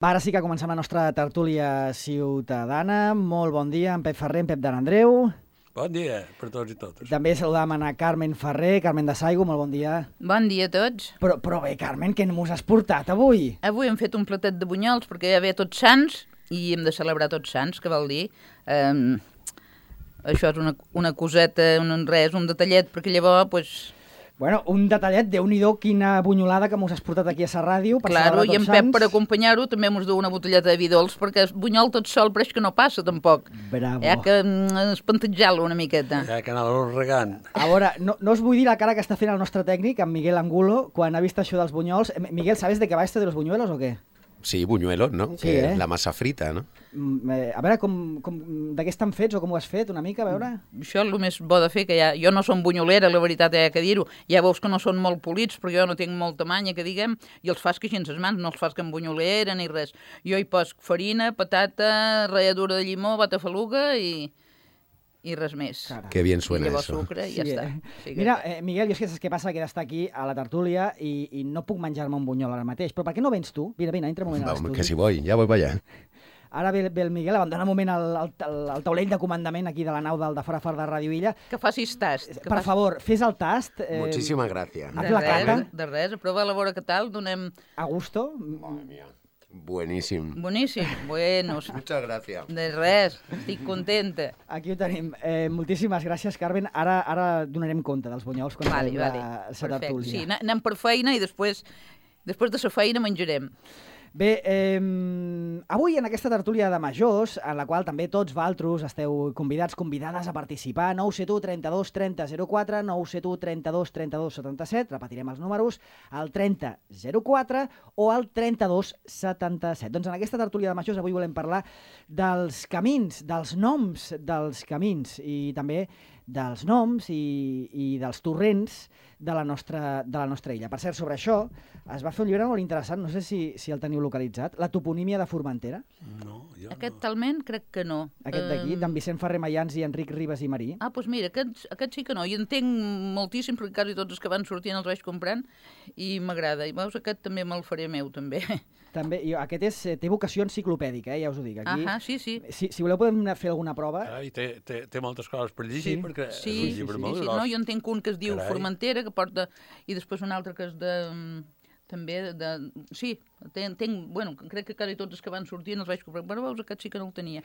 Ara sí que comencem la nostra tertúlia ciutadana. Molt bon dia, en Pep Ferrer, en Pep de l'Andreu. Bon dia per tots i totes. També saludam a Carmen Ferrer, Carmen de Saigo, molt bon dia. Bon dia a tots. Però bé, Carmen, què mos has portat avui? Avui hem fet un platet de bunyols perquè ja ve Tots Sants i hem de celebrar Tots Sants, que vol dir... això és una coseta, un detallet, perquè llavors... Pues... Bueno, un detallet, Déu-n'hi-do, quina bunyolada que mos has portat aquí a la ràdio. Claro, i en Pep, per acompanyar-ho, també mos du una botelleta de vi dolç, perquè el bunyol tot sol pareix que no passa, tampoc. Bravo. Hi ha que espantatjar-lo una miqueta. Hi ha que anar-lo regant. A veure, no us vull dir la cara que està fent el nostre tècnic, en Miguel Angulo, quan ha vist això dels bunyols. Miguel, ¿sabes de qué va esto de los buñuelos o qué? Sí, buñuelos, no? Sí, que la massa frita, no? A veure, de què estan fets o com ho has fet, una mica, a veure? Això és el més bo de fer, que jo no som bunyolera, la veritat, hi ha que dir-ho. Ja veus que no són molt polits, però jo no tinc molta manya, que diguem, i els fas que així en ses mans, no els fas que amb bunyolera ni res. Jo hi poso farina, patata, ratlladura de llimó, batafaluga i res més. Carai. Que bien suena I llavors eso. sucre i ja està. Sí, Mira, Miguel, jo és que saps què passa? Que d'estar aquí a la tertúlia i no puc menjar-me un bunyol ara mateix. Però per què no vens tu? Vine, entra un moment a l'estudi. Que si voy, ya voy para allá. Ara ve el Miguel, abandona un moment el taulell de comandament aquí de la nau de fora de Ràdio Illa. Que facis tast. Per favor, fes el tast. Muchísimas gracias. Haz la cata. De res, prova a veure què tal, donem... A gusto. Madre mía. Buenísimo. Boníssim, buenos. Muchas gracias. De res, estic contenta. Aquí ho tenim. Moltíssimes gràcies, Carmen. Ara donarem compte dels bunyols quan Vale, la tertúlia. Sí, anem per feina i després de la feina menjarem. Bé, avui en aquesta tertúlia de majors, en la qual també tots vosaltres esteu convidades a participar, 971 32 30 04, 971 32 32 77, repetirem els números, el 30 04 o el 32 77. Doncs en aquesta tertúlia de majors avui volem parlar dels camins, dels noms dels camins i també dels noms i dels torrents de la nostra illa. Per cert, sobre això es va fer un llibre molt interessant, no sé si el teniu localitzat, La toponímia de Formentera. No, jo Aquest no. talment crec que no. Aquest d'aquí, d'en Vicent Ferrer Mayans i Enric Ribas i Marí. Ah, doncs mira, aquest sí que no. I entenc moltíssim, perquè quasi tots els que van sortint els vaig comprant i m'agrada. I veus, aquest també me'l faré meu, també. També, aquest té vocació enciclopèdica, ja us ho dic. Aquí, Sí. Si voleu podem fer alguna prova. I té moltes coses per llegir, Sí. perquè Sí, és un llibre molt gros. No, jo entenc un que es diu Carai. Formentera, que porta... I després un altre que és de... també de... Sí, bueno, crec que quasi tots els que van sortint els vaig comprar. Però veus, aquest sí que no el tenia.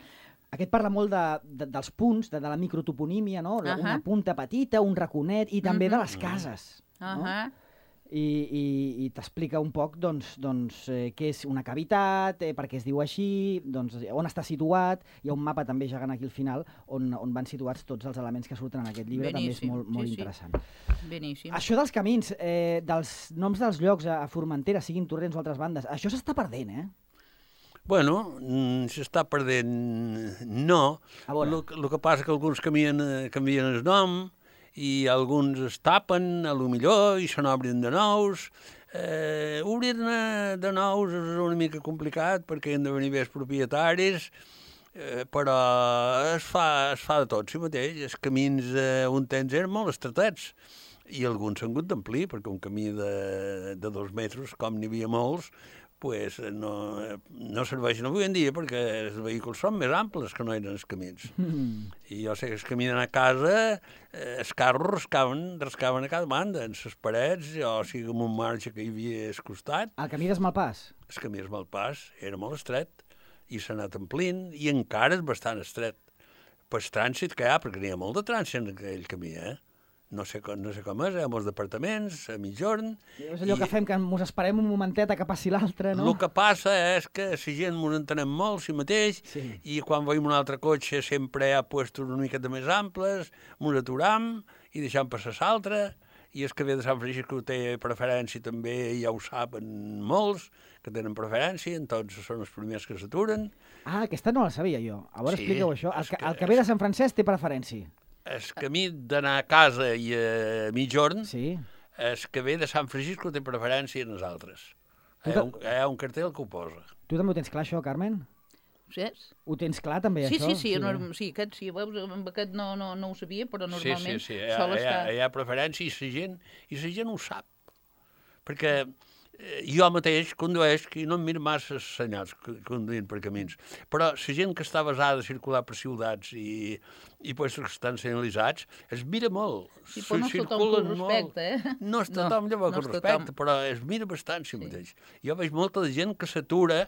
Aquest parla molt dels punts, de la microtoponímia, no? Una punta petita, un raconet, i també de les cases. No? I t'explica un poc doncs, què és una cavitat, per què es diu així, doncs, on està situat. Hi ha un mapa també gegant aquí al final on van situats tots els elements que surten en aquest llibre. Beníssim. També és molt Sí. interessant. Beníssim. Això dels camins, dels noms dels llocs a Formentera, siguin torrents o altres bandes, això s'està perdent, eh? Bueno, s'està perdent... No. A veure. El que passa que alguns canvien el nom i alguns es tapen, a lo millor, i se n'obren de nous. Obrir-ne de nous és una mica complicat perquè han de venir bé els propietaris, però es fa de tot si mateix. Els camins un temps eren molt estretets i alguns s'han hagut d'amplir, perquè un camí de 2 metres, com n'hi havia molts, pues no serveixen avui en dia perquè els vehicles són més amples que no eren els camins. I jo sé que els camins a casa, els carros rascaven a cada banda, en les parets, o sigui, amb un marge que hi havia al costat. El camí d'Esmalpàs. El camí d'Esmalpàs era molt estret i s'ha anat omplint i encara és bastant estret. Pel trànsit que hi ha, perquè n'hi ha molt de trànsit en aquell camí, No sé com és, hi ha molts departaments, a mitjorn... És allò que fem, que ens esperem un momentet a que passi l'altre, no? El que passa és que la gent ens entenem molt si mateix, i quan veiem un altre cotxe sempre hi ha puestos una miqueta més amples, ens aturam i deixem passar l'altre, i els que ve de Sant Francisco té preferència també, ja ho saben molts, que tenen preferència, entonces són els primers que s'aturen. Ah, aquesta no la sabia jo. A veure, Sí, expliqueu això. El que ve de Sant Francesc té preferència. El camí d'anar a casa i a mitjorn, Sí. el que ve de Sant Francisco té preferència en els altres. Hi ha un cartell que ho posa. Tu també ho tens clar, això, Carmen? Saps? Ho tens clar, també, Sí, això? sí, aquest sí, veus, amb aquest no ho sabia, però normalment Sí, sol estar... hi ha preferència i la gent ho sap. Perquè jo mateix condueix i no em miro massa els senyals conduint per camins. Però la gent que està basada a circular per ciutats i pues, que estan senyalitzats, es mira molt. Sí, però no és tothom que ho respecta, No és tothom llavors que ho respecta, però es mira bastant si mateix. Jo veig molta de gent que s'atura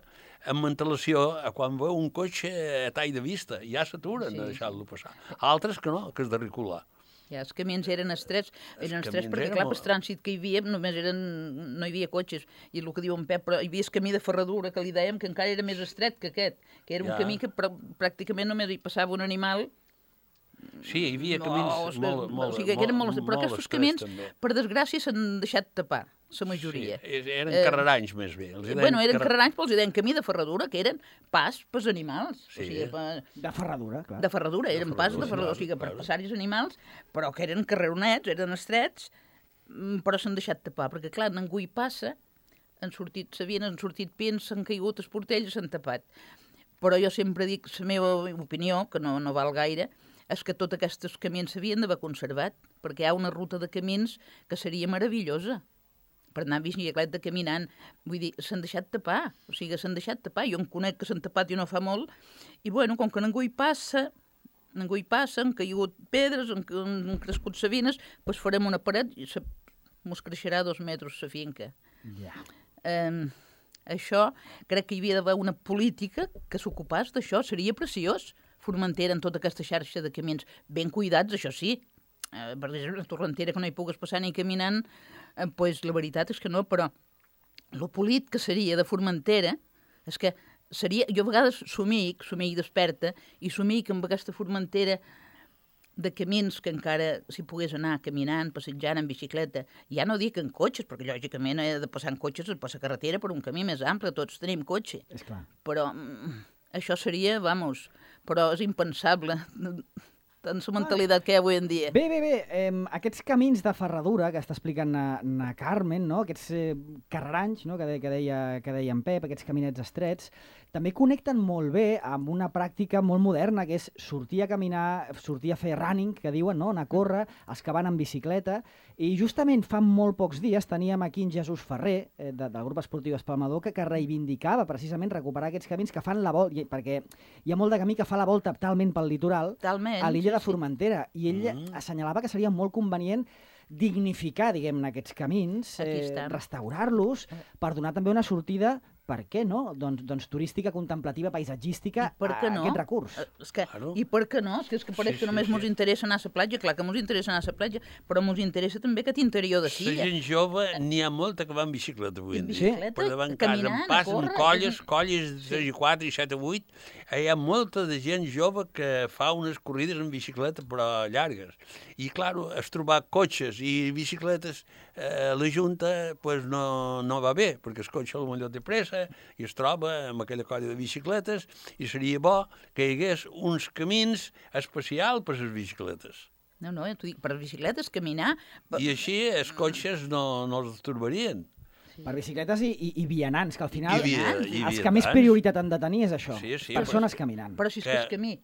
amb antelació a quan veu un cotxe a tall de vista. Ja s'aturen a deixar-lo passar. Altres que no, que és de recular. Ja, els camins eren estrets perquè, clar, el trànsit que hi havia només no hi havia cotxes. I el que diu en Pep, però hi havia el camí de ferradura, que li dèiem que encara era més estret que aquest, que era un camí que pràcticament només hi passava un animal. Sí, hi havia camins molt o sigui, que eren molt estrets. Però aquests camins, per desgràcia, s'han deixat tapar, la majoria. Sí, eren carreranys, més bé. Bueno, eren carreranys, però els deien camí de ferradura, que eren pas pels animals. Sí. O sigui, de ferradura, clar. De ferradura, eren pas de ferradura, o sigui, per passar-hi els animals, però que eren carreronets, eren estrets, però s'han deixat tapar, perquè, clar, ningú hi passa, han sortit pins, s'han caigut els portells i s'han tapat. Però jo sempre dic, la meva opinió, que no val gaire, és que tots aquests camins s'havien d'haver conservat, perquè hi ha una ruta de camins que seria meravellosa per anar amb bicicleta caminant. Vull dir, s'han deixat tapar, o sigui, s'han deixat tapar. Jo em conec que s'han tapat i no fa molt, i bueno, com que ningú hi passa, han caigut pedres, han crescut savines, doncs farem una paret i mos creixerà 2 metres la finca. Ja. Això, crec que hi havia d'haver una política que s'ocupés d'això, seria preciós. Formentera en tota aquesta xarxa de camins ben cuidats, això sí. Per exemple, la Torrentera, que no hi pugues passar ni caminant, pues, la veritat és que no, però lo polit que seria de Formentera és que seria... Jo a vegades somic desperta, i somic amb aquesta Formentera de camins que encara s'hi pogués anar caminant, passejant en bicicleta. Ja no dic en cotxes, perquè lògicament de passar en cotxes es passa carretera per un camí més ample, tots tenim cotxe. És clar. Però això seria, però és impensable en la mentalitat que hi ha avui en dia. Bé, aquests camins de ferradura que està explicant na Carmen, no? Aquests carreranys, no? que deia en Pep, aquests caminets estrets, també connecten molt bé amb una pràctica molt moderna, que és sortir a caminar, sortir a fer running, que diuen, no? Anar a córrer, els que van en bicicleta, i justament fa molt pocs dies teníem aquí en Jesús Ferrer, del grup esportiu Espalmador, que reivindicava precisament recuperar aquests camins que fan la volta, perquè hi ha molt de camí que fa la volta talment pel litoral, a l'illa de Formentera, i ell assenyalava que seria molt convenient dignificar, diguem-ne, aquests camins, restaurar-los, per donar també una sortida, per què no? Doncs turística, contemplativa, paisatgística, a aquest recurs. I per què no? És que pareix que només ens interessa anar a la platja, clar que ens interessa anar a la platja, però ens interessa també aquest interior de silla. La gent jove, n'hi ha molta que va en bicicleta avui en dia. Per davant casa, en pas, en colles de 3 i 4 i 7 i 8, hi ha molta de gent jove que fa unes corrides en bicicleta, però llargues. I, clar, es trobar cotxes i bicicletes, la Junta no va bé, perquè el cotxe potser té pressa i es troba amb aquella colla de bicicletes, i seria bo que hi hagués uns camins especials per a les bicicletes. No, t'ho dic, per bicicletes, caminar... I així els cotxes no els torbarien. Per bicicletes i vianants, que al final els que més prioritat han de tenir és això, persones caminant. Però si és que el camí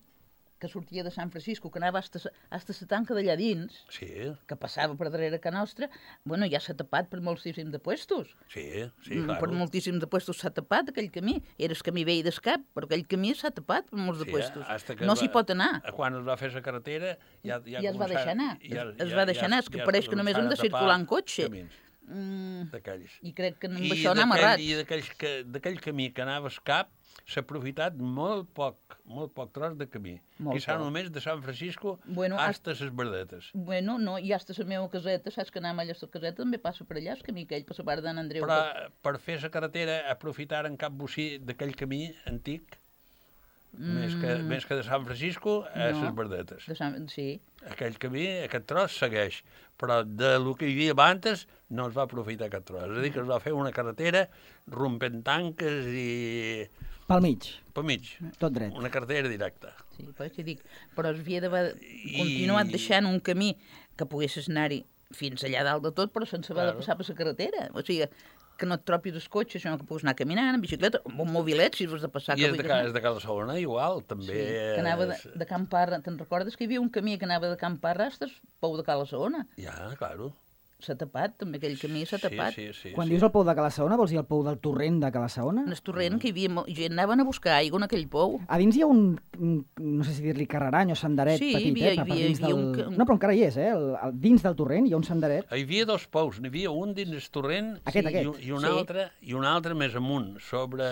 que sortia de Sant Francisco, que anava fins a la tanca d'allà dins, que passava per darrere que nostra, bueno, ja s'ha tapat per moltíssims de puestos. Sí, clar. Per moltíssims de puestos s'ha tapat aquell camí. Era el camí vell d'escap, però aquell camí s'ha tapat per molts de puestos. No s'hi pot anar. Quan es va fer la carretera... Ja es va deixar anar. Es va deixar anar, és que pareix que només hem de circular en cotxe. I crec que amb això anem errats. I d'aquell camí que anava a escap, s'ha aprofitat molt poc tros de camí. Quizà només de Sant Francisco hasta les Verdetes. Bueno, no, i hasta la meva caseta, saps que anàvem allà a la caseta, també passa per allà, el camí aquell, per la part d'en Andreu. Però per fer la carretera, aprofitar en cap bocí d'aquell camí antic, més que de Sant Francisco, a les Verdetes. Sí. Aquell camí, aquest tros segueix, però del que hi havia abans no es va aprofitar aquest tros. És a dir, que es va fer una carretera rompent tanques i... Pel mig. Pel mig. Tot dret. Una carretera directa. Sí, però es havia d'haver continuat deixant un camí que poguessis anar-hi fins allà dalt de tot, però sense haver de passar per la carretera. O sigui, que no et tropis els cotxes, sinó que puguis anar caminant, en bicicleta, amb un mobilet, si has de passar... I és de Cala Segona, igual, també. Sí, que anava de Can Parra. Te'n recordes que hi havia un camí que anava de Can Parra fins Pou de Cala Segona? Ja, claro. s'ha tapat, també aquell camí s'ha tapat. Quan dius el pou de Cala-saona, vols dir el pou del torrent de Cala-saona? En el torrent, que hi havia gent, anaven a buscar aigua en aquell pou. A dins hi ha no sé si dir-li carrerany o senderet petit, hi havia No, però encara hi és, dins del torrent hi ha un senderet. Hi havia dos pous, n'hi havia un dins el torrent i un altre més amunt, sobre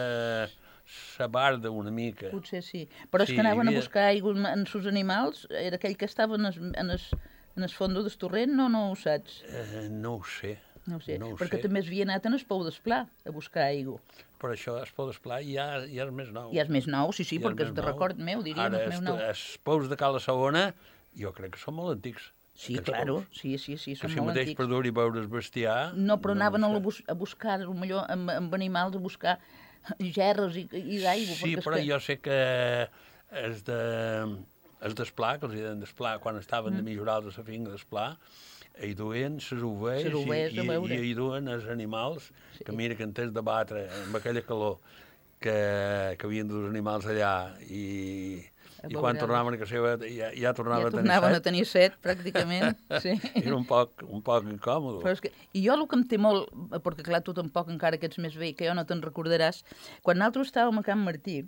la barda una mica. Potser sí, però és que anaven a buscar aigua en sus animals, era aquell que estava en el fons del torrent, no ho saps? No ho sé. No ho sé, perquè també havia anat en el pou d'Esplà a buscar aigua. Però això, el pou d'Esplà, ja és més nou. Ja és més nou, sí, perquè és de record meu, diríem, ara, és meu nou. Els pous de Cala-saona, jo crec que són molt antics. Sí, claro, sí, són molt antics. Que si mateix per dur i veure el bestiar... No, però anaven a buscar, potser amb animals, a buscar gerres i d'aigua. Sí, però jo sé que els d'Esplà, que els deien d'Esplà, quan estaven de millorar de la finca d'Esplà, hi duien les ovelles i hi duen els animals, que mira que en tens de batre amb aquella calor que havien de dur els animals allà i quan tornaven a casa seva ja tornaven a tenir set, pràcticament. Era un poc incòmode. I jo el que em té molt, perquè clar, tu tampoc encara que ets més vell, que jo no te'n recordaràs, quan nosaltres estàvem a Can Martí,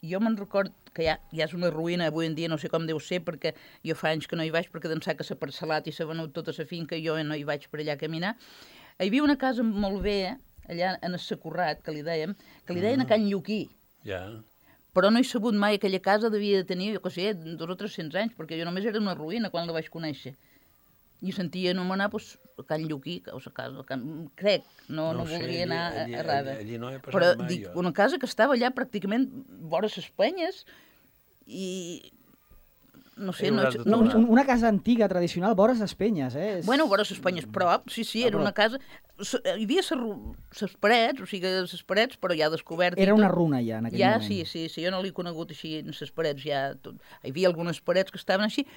jo me'n record que ja és una ruïna avui en dia, no sé com deu ser, perquè jo fa anys que no hi vaig, perquè d'ençà que s'ha parcel·lat i s'ha venut tota la finca, jo no hi vaig per allà a caminar. Hi havia una casa molt bé, allà en el Sacorrat, que li deien a Can Lluquí. Ja. Però no he sabut mai, aquella casa devia de tenir, jo què sé, 200 o 300 anys, perquè jo només era una ruïna quan la vaig conèixer. I sentia anomenar, Can Lluquí, o la casa, crec, no volia anar errada. Allí no he passat però mai, dic, una casa que estava allà pràcticament vora les penyes i... No sé, una casa antiga, tradicional, vora les penyes, Bueno, vora les penyes, prop, sí, era una casa... Hi havia les parets, o sigui, les parets, però ja descobert... Era una runa ja, en aquell moment. Ja, sí, jo no l'he conegut així, en les parets ja... Hi havia algunes parets que estaven així,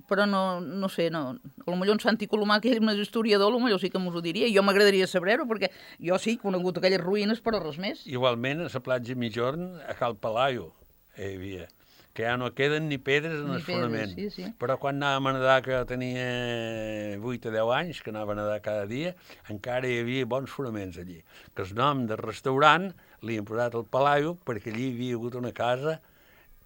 però no sé, potser en Santi Colomà, que és un historiador, potser sí que m'ho diria, i jo m'agradaria saber-ho, perquè jo sí he conegut aquelles ruïnes, però res més. Igualment, a la platja Migjorn, a Cal Palaio, hi havia, que ja no queden ni pedres en el fonament. Sí. Però quan anàvem a nedar, que tenia 8 o 10 anys, que anava a nedar cada dia, encara hi havia bons fonaments allí. Que el nom del restaurant li han posat el Palaio, perquè allí hi havia hagut una casa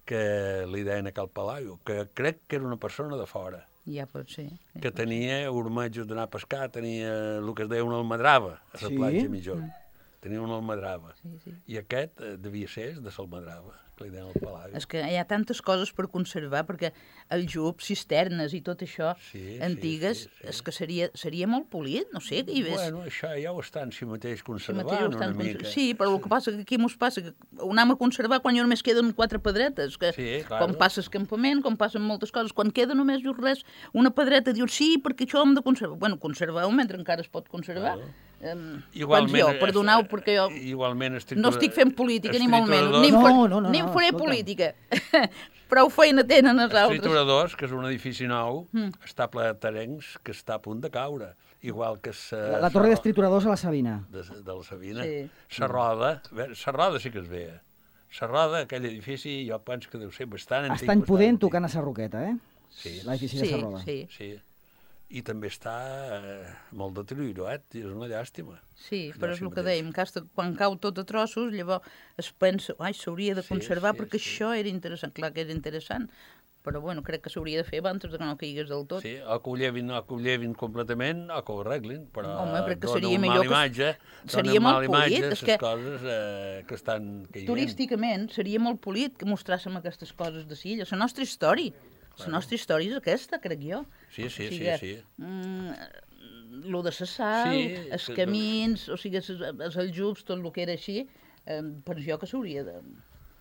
que li deien a Cal Palaio, que crec que era una persona de fora. Ja pot ser. Que tenia ormejos d'anar a pescar, tenia el que es deia una almadrava, a la platja Migjorn. Tenia una almadrava. I aquest devia ser de l'almadrava. És que hi ha tantes coses per conservar, perquè el jub, cisternes i tot això, antigues, és que seria molt polit, no sé. Bueno, això ja ho estan si mateix conservant una mica. Sí, però el que passa que aquí mos passa, que ho anem a conservar quan ja només queden 4 pedretes, que quan passa el campament, quan passen moltes coses, quan queda només res, una pedreta, dius, sí, perquè això ho hem de conservar. Bueno, conservar-ho mentre encara es pot conservar. Igualment, perdoneu, perquè jo no estic fent política, ni molt menys, ni en faré política. Prou feina tenen els altres. Els trituradors, que és un edifici nou, està ple de terrenys que està a punt de caure. Igual que la torre dels trituradors a la Sabina. De la Sabina. La Roda sí que es veia. La Roda, aquell edifici, jo penso que deu ser bastant antic. Està impudent tocant a la Roqueta, Sí. L'edifici de la Roda. Sí. I també està molt deteriorat, és una llàstima. Sí, però és el que dèiem, quan cau tot a trossos, llavors es pensa, s'hauria de conservar perquè això era interessant. Clar que era interessant, però bueno, crec que s'hauria de fer abans que no caigués del tot. Sí, o que ho llevin completament o que ho arreglin, però dona una mala imatge, seria molt polit, les coses que estan caient. Turísticament seria molt polit que mostràssim aquestes coses de Silla, la nostra història. La nostra història és aquesta, crec jo. Sí. Lo de la sal, els camins, o sigui, els aljubs, tot el que era així, penso jo que s'hauria de...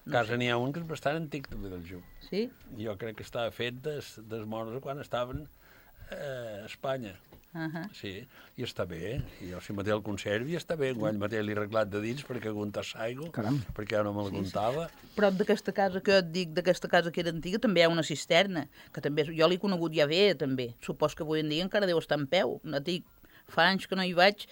Casa n'hi ha un que és bastant antic, també, del jub. Sí? Jo crec que estava fet dels moros quan estaven a Espanya. Sí, i està bé. Jo si mateix el conservi està bé. Guany mateix l'he arreglat de dins perquè aguantar l'aigua, perquè ja no me l'aguantava. Prop d'aquesta casa que jo et dic, d'aquesta casa que era antiga, també hi ha una cisterna, que també jo l'he conegut ja bé, també. Supos que avui en dia encara deu estar en peu. No dic, fa anys que no hi vaig,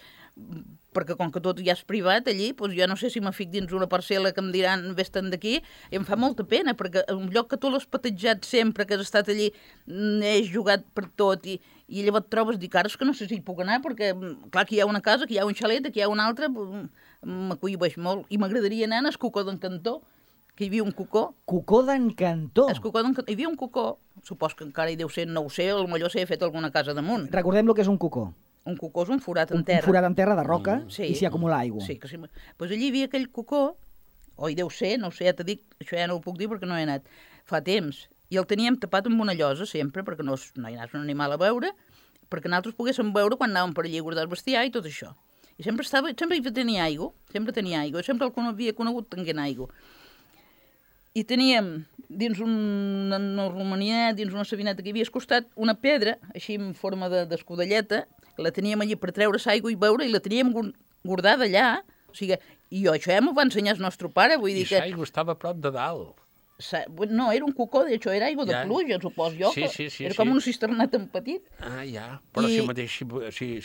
perquè com que tot ja és privat allí, doncs jo no sé si me fic dins una parcel·la que em diran vés-te'n d'aquí, i em fa molta pena, perquè un lloc que tu l'has patejat sempre, que has estat allí, has jugat per tot, i llavors et trobes, dic, ara és que no sé si hi puc anar, perquè clar, aquí hi ha una casa, aquí hi ha un xalet, aquí hi ha un altre, m'acollibeix molt, i m'agradaria anar al Cocó d'en Cantó, que hi havia un cocó. Cocó d'en Cantó. El Cocó d'en Cantó. Hi havia un cocó, supos que encara hi deu ser, no ho sé, potser s'hi ha fet alguna casa damunt. Recordem el que és un cocó. Un cocó és un forat en terra. Un forat en terra de roca Sí. i s'hi acumula aigua. Sí, que sí. Pues allí hi havia aquell cocó, o hi deu ser, no ho sé, ja t'he dit, això ja no ho puc dir perquè no he anat, fa temps, i el teníem tapat amb una llosa sempre, perquè no hi anaves un animal a veure, perquè nosaltres poguéssim veure quan anàvem per allí a guardar el bestiar i tot això. I sempre hi tenia aigua, sempre el que havia conegut tenint aigua. I teníem dins una romania, dins una sabineta que hi havia al costat, una pedra, així en forma d'escudelleta, la teníem allí per treure l'aigua i beure, i la teníem guardada allà. O sigui, i això ja m'ho va ensenyar el nostre pare, vull dir que... I l'aigua estava a prop de dalt. No, era un cocó, d'això era aigua de pluja, supos jo. Sí. Era com un cisternat en petit. Ah, ja. Però si mateix,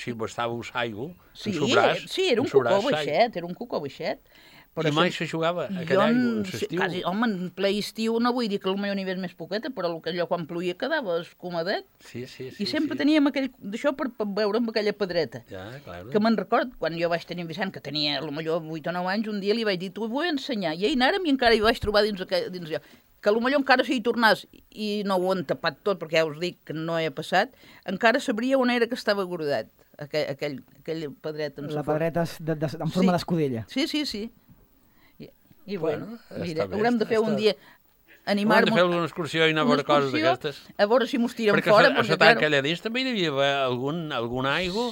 si bastàveu aigua, sí, era un cocó baixet, I mai se jugava aquella aigua, en l'estiu. Quasi, home, en ple estiu no vull dir que potser n'hi hagués més poqueta, però allò quan ploïa quedava escumadet. Sí. I sempre teníem d'això per veure amb aquella pedreta. Ja, clar. Que me'n record, quan jo vaig tenir en Vicent, que tenia potser 8 o 9 anys, un dia li vaig dir, t'ho vull ensenyar. I anàrem i encara hi vaig trobar dins allò. Que potser encara si hi tornàs, i no ho han tapat tot, perquè ja us dic que no he passat, encara sabria on era que estava guardat, aquella pedreta. La pedreta en forma d'escudella. Sí. I bueno, mira, bé, haurem de fer un dia animar-nos... Haurem de fer alguna excursió i anar a veure coses d'aquestes. A veure si mos tiren perquè fora. Perquè a la tanca allà dins també hi havia alguna aigua,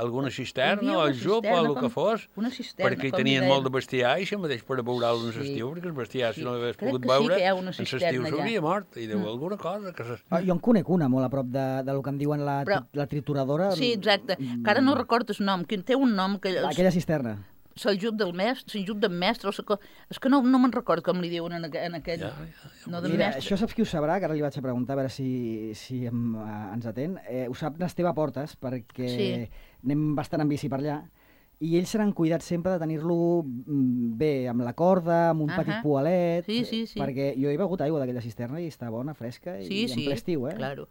alguna cisterna, o el jup, o el que fos, perquè hi tenien molt de bestiar, i això mateix per veure-lo en l'estiu, perquè el bestiar, si no l'hagués pogut veure, en l'estiu s'hauria mort, i deu alguna cosa. Jo en conec una molt a prop del que en diuen la trituradora. Sí, exacte, que ara no recordo el nom, que té un nom... Aquella cisterna. Se'l del mestre, és que no me'n recordo com li diuen en aquell... Mira, això saps qui ho sabrà, que ara li vaig a preguntar a veure si ens atén. Ho sap l'Esteve Portes, perquè anem bastant en bici per allà, i ells s'han cuidat sempre de tenir-lo bé, amb la corda, amb un petit poalet, perquè jo he begut aigua d'aquella cisterna i està bona, fresca, i en ple estiu, Claro.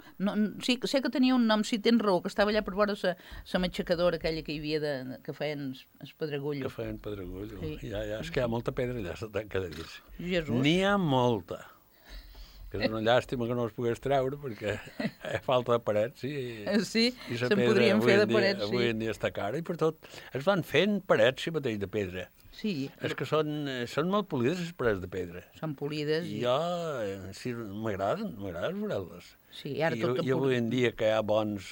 Sí, sé que tenia un nom, si tens raó, que estava allà per veure la matxacadora aquella que hi havia, que feien el pedregullo. Que feien pedregullo, ja, és que hi ha molta pedra allà, se tanca de dir. Jesús. N'hi ha molta. Que és una llàstima que no es pogués treure, perquè falta de parets, sí, se'n podrien fer de parets, avui en dia està cara, i per tot es van fent parets, mateix, de pedra. Sí. És que són molt polides, les parets de pedra. Són polides. I jo, m'agraden veure-les. Sí, ara tot I avui en dia que hi ha bons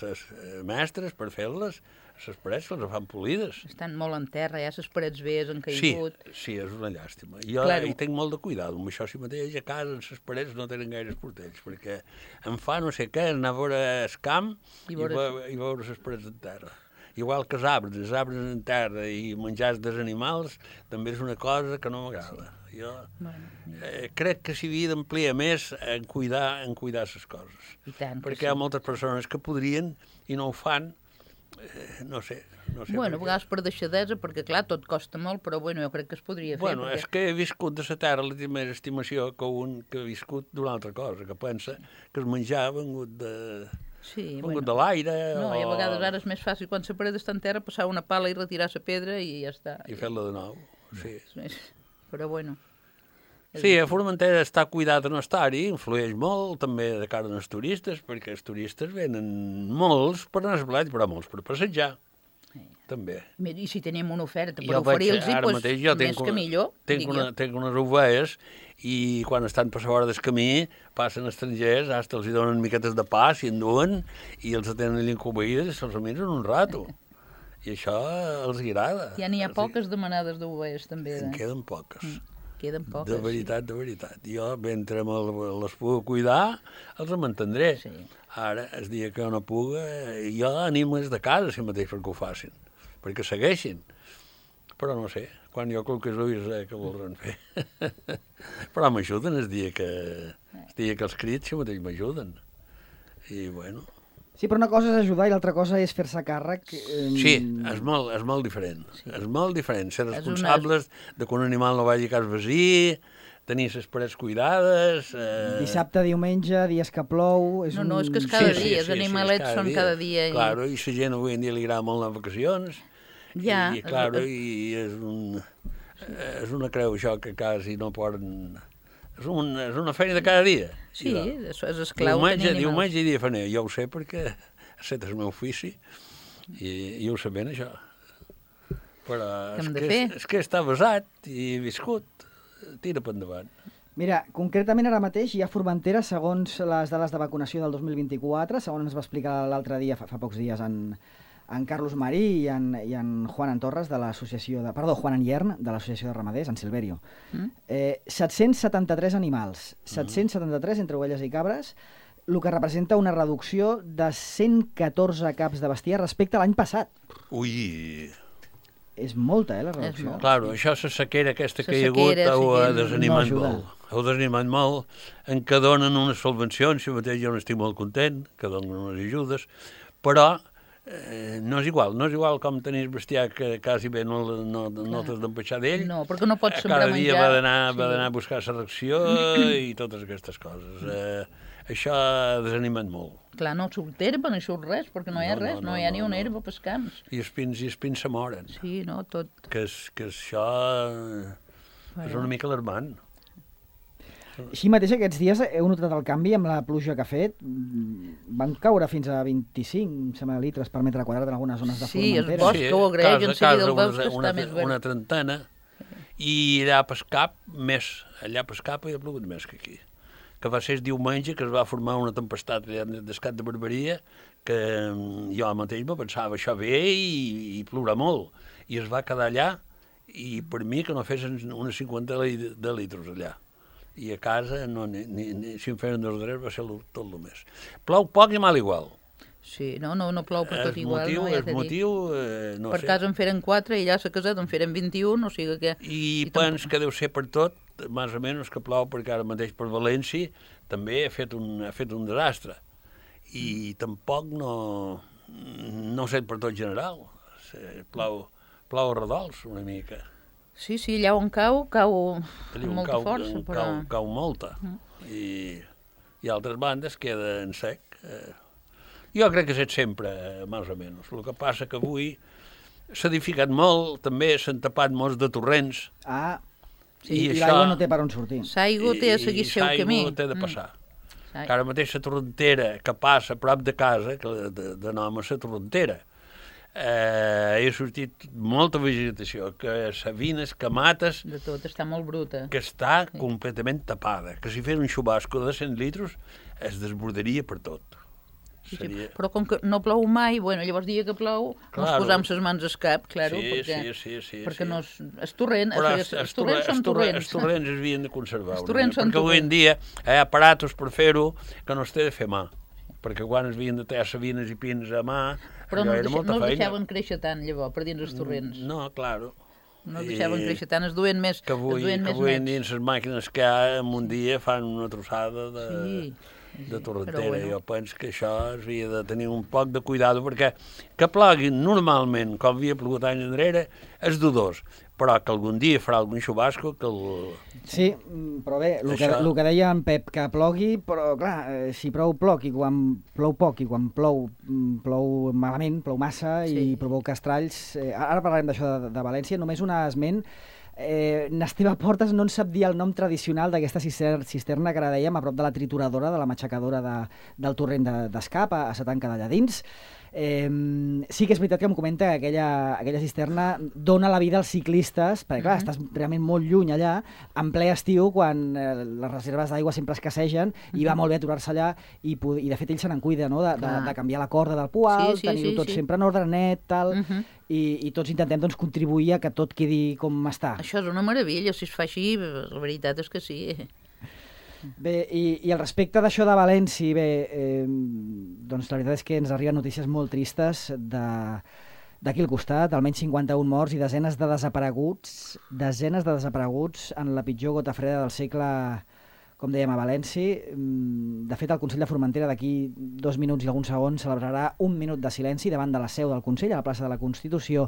mestres per fer-les, les parets les fan polides. Estan molt en terra, ja les parets veies han caigut. Sí, és una llàstima. Jo hi tinc molt de cuidado, amb això si mateix a casa les parets no tenen gaires portells, perquè em fa no sé què, anar a veure el camp i veure les parets en terra. Igual que els arbres en terra i menjar dels animals també és una cosa que no m'agrada. Jo crec que s'hi havia d'ampliar més en cuidar les coses. Perquè hi ha moltes persones que podrien i no ho fan. No sé. Bueno, a vegades per deixadesa, perquè clar, tot costa molt, però bueno, jo crec que es podria fer. Bueno, és que he viscut de la terra la més estimació que un que ha viscut d'una altra cosa, que pensa que el menjar ha vengut de l'aire. No, i a vegades ara és més fàcil, quan la paret està en terra, passar una pala i retirar la pedra i ja està. I fer-la de nou, sí. Però bueno... Sí, a Formentera està cuidat de no estar-hi, influeix molt també de cara als turistes, perquè els turistes venen molts per anar a Esblat, però molts per passejar, també. I si tenim una oferta per oferir-los, més que millor. Tinc unes ovelles i quan estan per la vora del camí passen estrangers, fins els donen miquetes de pa, s'hi enduen, i els tenen allà encobeïdes i se'ls miren un rato. I això els agrada. Ja n'hi ha poques demanades d'ovelles, també. En queden poques. Queden poques. De veritat. Jo, mentre les puc cuidar, els mantindré. Ara, el dia que no puga, jo animo des de casa, si mateix, perquè ho facin, perquè segueixin. Però no sé, quan jo col·loqués ulls, què voldran fer? Però m'ajuden el dia que els crits, si mateix m'ajuden. I, bueno, Sí, però una cosa és ajudar i l'altra cosa és fer-se càrrec. Sí, és molt diferent. Sí. És molt diferent. Ser És responsables de que un animal no vagi a cas vecí, tenir les parets cuidades... Dissabte, diumenge, dies que plou... No, és que és cada dia, els animalets és són cada dia. Claro, i la gent avui en dia li agrada molt les vacacions. Ja. I és una creu això que quasi no poden... És una feina de cada dia. Sí, això és esclau tenir animals. Diumenge i dia faner. Jo ho sé perquè aquest és el meu ofici i ho sé ben, això. Però és que està basat i viscut. Tira per endavant. Mira, concretament ara mateix hi ha Formentera, segons les dades de vacunació del 2024, segons ens va explicar l'altre dia, fa pocs dies, en Carlos Marí i en Juan Antorres de l'associació Juan Anyern de l'associació de ramaders, en Silverio. 773 animals, 773 entre ovelles i cabres, el que representa una reducció de 114 caps de bestiar respecte a l'any passat. Ui! És molta, la reducció. Claro, això, la sequera aquesta que hi ha hagut, ho ha desanimat molt. Ho ha desanimat molt, en què donen unes subvencions, si mateix jo n'estic molt content, que donen unes ajudes, però no és igual com tenir bestiar que quasi bé no t'has d'empeixar d'ell. No, perquè no pots sembrar menjar. Cada dia va d'anar a buscar la ració i totes aquestes coses. Això ha desanimat molt. Clar, no surt herba, no hi surt res, perquè no hi ha res, no hi ha ni una herba pels camps. I els pins se moren. Sí, no, tot. Que això és una mica alarmant. Així mateix aquests dies heu notat el canvi amb la pluja que ha fet. Van caure fins a 25 litres per metre quadrat en algunes zones de Formentera. Sí, el bosc que ho agraeix, en seguida el bosc està més verd. Una trentena, i allà pel cap hi ha plogut més que aquí. Que va ser el diumenge que es va formar una tempestat d'escat de Barberia, que jo mateix me pensava això ve i plourà molt. I es va quedar allà, i per mi que no fes unes 50 de litros allà. I a casa, si em feien 2 drets, va ser tot el més. Plou poc i mal igual. Sí, no plou per tot igual. No per casa en feren 4 i allà a la caseta en feren 21, o sigui que... I pens que deu ser per tot, més o menys que plou, perquè ara mateix per València també ha fet un desastre. I tampoc no sé per tot general. Plou a redols una mica. Sí, allà on cau amb molta força. Cau molta. I altres bandes queda en sec. Jo crec que és sempre, més o menys. El que passa que avui s'ha edificat molt, també s'han tapat molts de torrents. Sí, i l'aigua no té per on sortir. L'aigua té a seguir el seu camí. L'aigua té de passar. Ara mateix la torrentera que passa a prop de casa, que de nom és la torrentera, ha sortit molta vegetació, que savines, que mates... De tot, està molt bruta. Que està completament tapada, que si fes un xubasco de 100 litres es desbordaria per tot. Sí, però com que no plou mai, llavors dia que plou, ens posam les mans al cap, perquè no és torrent, els torrents són torrents. Els torrents es havien de conservar, perquè avui en dia hi ha aparatos per fer-ho que no es té de fer mà, perquè quan es havien de tallar savines i pins a mà, però no els deixaven créixer tant, llavors, per dins els torrents. No, claro. No els deixaven créixer tant, es duen més. Que avui en dia les màquines que hi ha en un dia fan una trossada de torrentera. Jo penso que això havia de tenir un poc de cuidado, perquè que plogui normalment, com havia plogut anys enrere, és dudós, però que algun dia farà algun xubasco que Sí, però bé, el que deia en Pep, que plogui, però clar, si plou poc i quan plou malament, plou massa i provoca estralls. Ara parlarem d'això de València, només un esment. N'Esteve Portes no en sap dir el nom tradicional d'aquesta cisterna que ara dèiem a prop de la trituradora, de la matxacadora del torrent d'Escap, a la tanca d'allà dins. Sí que és veritat que em comenta que aquella cisterna dona la vida als ciclistes, perquè clar, estàs realment molt lluny allà, en ple estiu, quan les reserves d'aigua sempre escassegen, i va molt bé aturar-se allà, i de fet ell se n'en cuida, no? de canviar la corda del poal, tenir-ho tot sempre en ordre net, tal, i tots intentem contribuir a que tot quedi com està. Això és una meravella, si es fa així, la veritat és que sí. Bé, i al respecte d'això de València, doncs la veritat és que ens arriben notícies molt tristes d'aquí al costat, almenys 51 morts i desenes de desapareguts en la pitjor gota freda del segle, com dèiem, a València. De fet, el Consell de Formentera d'aquí 2 minuts i alguns segons celebrarà 1 minut de silenci davant de la seu del Consell, a la plaça de la Constitució,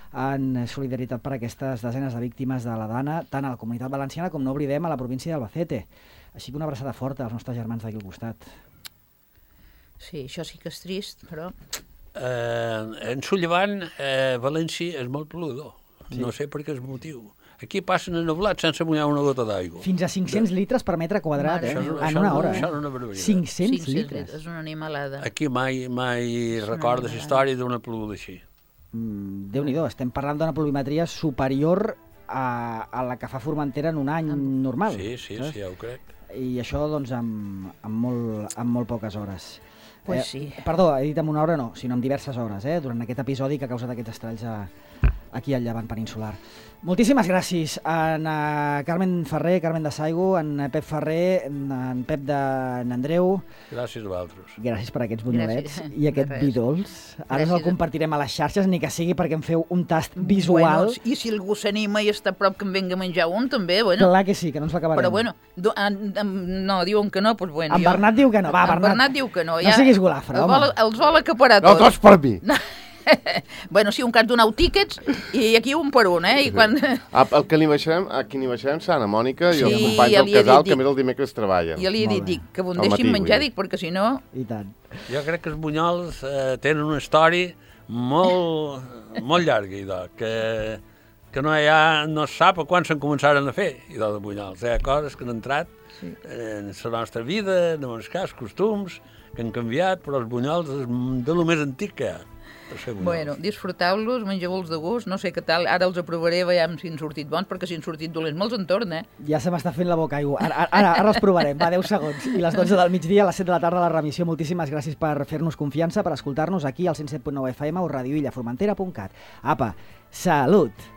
en solidaritat per aquestes desenes de víctimes de la Dana, tant a la Comunitat Valenciana com no oblidem a la província d'Albacete. Així que una abraçada forta als nostres germans d'aquí al costat. Sí, això sí que és trist, però... En Llevant, València és molt peludo. Sí. No sé per què és motiu. Aquí passen ennublats sense mullar una gota d'aigua. Fins a 500 litres per metre quadrat, en una hora. Això és una barbaritat. 500 litres. És una animalada. Aquí mai recordes història d'una pluja així. Déu-n'hi-do, estem parlant d'una pluvimetria superior a la que fa Formentera en un any normal. Sí, ja ho crec. I això, doncs, amb molt poques hores. Pues sí. Perdó, he dit en una hora no, sinó en diverses hores, durant aquest episodi que ha causat aquests estralls aquí al Llevant peninsular. Moltíssimes gràcies a Carmen Ferrer, Carmen de Saigo, en Pep Ferrer, en Pep d'Andreu. Gràcies a vosaltres. Gràcies per aquests bunyolets i aquest vi dolç. Ara el compartirem a les xarxes, ni que sigui perquè em feu un tast visual. Bueno, i si algú s'anima i està a prop que em venga a menjar un, també, bueno. Clar que sí, que no ens l'acabarem. Però bueno, no, diuen que no, doncs bueno. En Bernat diu que no, va, Bernat. En Bernat diu que no. No siguis golafre, home. Els vol acaparar tots. No, tots per mi. Bueno, sí, un cas donau tíquets i aquí un per un, I quan... El que aquí n'hi baixarem, Santa Mònica i els companys del casal que més el dimecres treballen. Jo li he dit, que m'ho deixin menjar, dic, perquè si no... I tant. Jo crec que els bunyols tenen una història molt llarga, idò, que no es sap a quan se'n començaren a fer, idò, de bunyols. Hi ha coses que han entrat en la nostra vida, en els cas, costums, que han canviat, però els bunyols és de lo més antic que hi ha. Bueno, disfruteu-los, mengeu-los de gust, no sé què tal, ara els aprovaré, veiem si han sortit bons, perquè si han sortit dolents me'ls entorn, Ja se m'està fent la boca aigua. Ara els provarem, va, 10 segons. I les 12 del migdia, a les 7 de la tarda, la remissió. Moltíssimes gràcies per fer-nos confiança, per escoltar-nos aquí al 107.9 FM o radioillaformentera.cat. Apa, salut!